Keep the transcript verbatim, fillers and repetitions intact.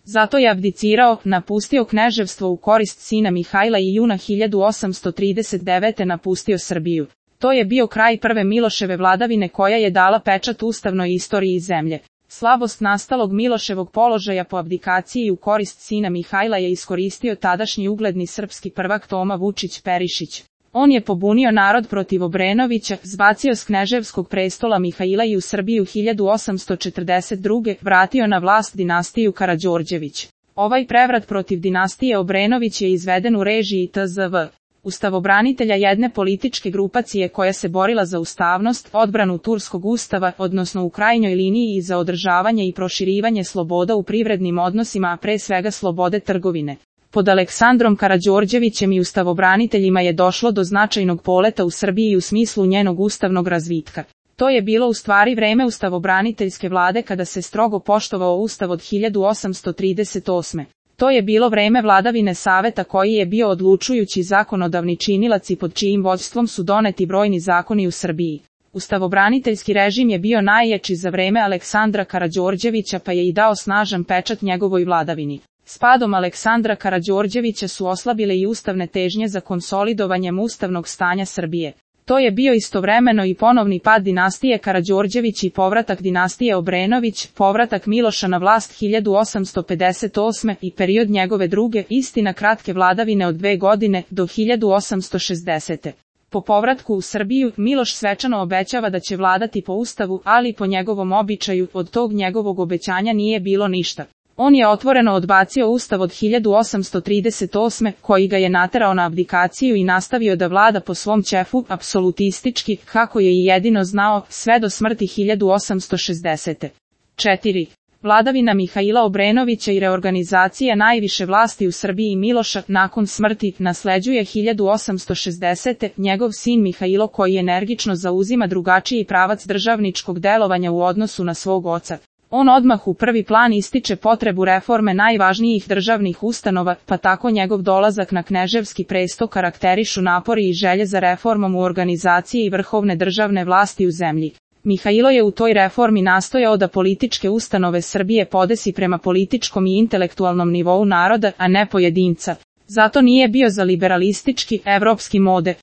Zato je abdicirao, napustio kneževstvo u korist sina Mihajla i juna hiljadu osamsto trideset devete. napustio Srbiju. To je bio kraj prve Miloševe vladavine koja je dala pečat ustavnoj istoriji zemlje. Slabost nastalog Miloševog položaja po abdikaciji u korist sina Mihajla je iskoristio tadašnji ugledni srpski prvak Toma Vučić Perišić. On je pobunio narod protiv Obrenovića, zbacio s kneževskog prestola Mihajla i u Srbiju hiljadu osamsto četrdeset druge. vratio na vlast dinastiju Karađorđević. Ovaj prevrat protiv dinastije Obrenović je izveden u režiji T Z V. Ustavobranitelja, jedne političke grupacije koja se borila za ustavnost, odbranu turskog ustava, odnosno u krajnjoj liniji i za održavanje i proširivanje sloboda u privrednim odnosima, a pre svega slobode trgovine. Pod Aleksandrom Karađorđevićem i ustavobraniteljima je došlo do značajnog poleta u Srbiji u smislu njenog ustavnog razvitka. To je bilo u stvari vreme ustavobraniteljske vlade kada se strogo poštovao ustav od hiljadu osamsto trideset osme. To je bilo vreme vladavine Saveta koji je bio odlučujući zakonodavni činilac i pod čijim vođstvom su doneti brojni zakoni u Srbiji. Ustavobraniteljski režim je bio najjači za vreme Aleksandra Karađorđevića pa je i dao snažan pečat njegovoj vladavini. S padom Aleksandra Karađorđevića su oslabile i ustavne težnje za konsolidovanjem ustavnog stanja Srbije. To je bio istovremeno i ponovni pad dinastije Karađorđević i povratak dinastije Obrenović, povratak Miloša na vlast hiljadu osamsto pedeset osme. i period njegove druge, istina kratke vladavine od dve godine, do hiljadu osamsto šezdesete. Po povratku u Srbiju, Miloš svečano obećava da će vladati po ustavu, ali po njegovom običaju, od tog njegovog obećanja nije bilo ništa. On je otvoreno odbacio ustav od hiljadu osamsto trideset osme. koji ga je naterao na abdikaciju i nastavio da vlada po svom ćefu, apsolutistički, kako je i jedino znao, sve do smrti hiljadu osamsto šezdesete. četiri. Vladavina Mihajla Obrenovića i reorganizacija najviše vlasti u Srbiji Miloša, nakon smrti, nasleđuje hiljadu osamsto šezdesete. njegov sin Mihajlo koji energično zauzima drugačiji pravac državničkog delovanja u odnosu na svog oca. On odmah u prvi plan ističe potrebu reforme najvažnijih državnih ustanova, pa tako njegov dolazak na kneževski presto karakterišu napori i želje za reformom u organizaciji i vrhovne državne vlasti u zemlji. Mihajlo je u toj reformi nastojao da političke ustanove Srbije podesi prema političkom i intelektualnom nivou naroda, a ne pojedinca. Zato nije bio za liberalistički, evropski mode.